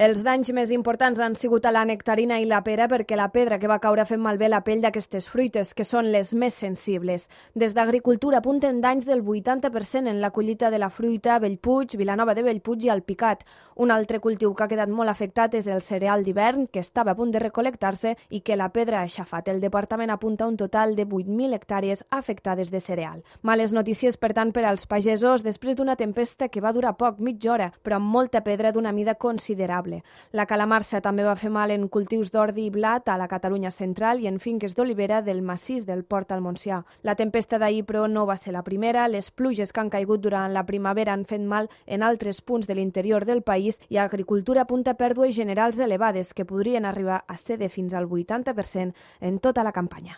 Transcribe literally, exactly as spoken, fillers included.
Els danys més importants han sigut a la nectarina i la pera perquè la pedra que va caure ha fet malbé la pell d'aquestes fruites, que són les més sensibles. Des d'Agricultura apunten danys del vuitanta per cent en la collita de la fruita a Bellpuig, Vilanova de Bellpuig i Alpicat. Un altre cultiu que ha quedat molt afectat és el cereal d'hivern, que estava a punt de recolectar-se i que la pedra ha aixafat. El departament apunta un total de vuit mil hectàrees afectades de cereal. Males notícies, per tant, per als pagesos després d'una tempesta que va durar poc, mitja hora, però amb molta pedra d'una mida considerable. La calamarsa també va fer mal en cultius d'ordi i blat a la Catalunya central i en finques d'olivera del massís del Port al Montsià. La tempesta d'ahir, però, no va ser la primera. Les pluges que han caigut durant la primavera han fet mal en altres punts de l'interior del país i Agricultura apunta pèrdues generals elevades que podrien arribar a ser de fins al vuitanta per cent en tota la campanya.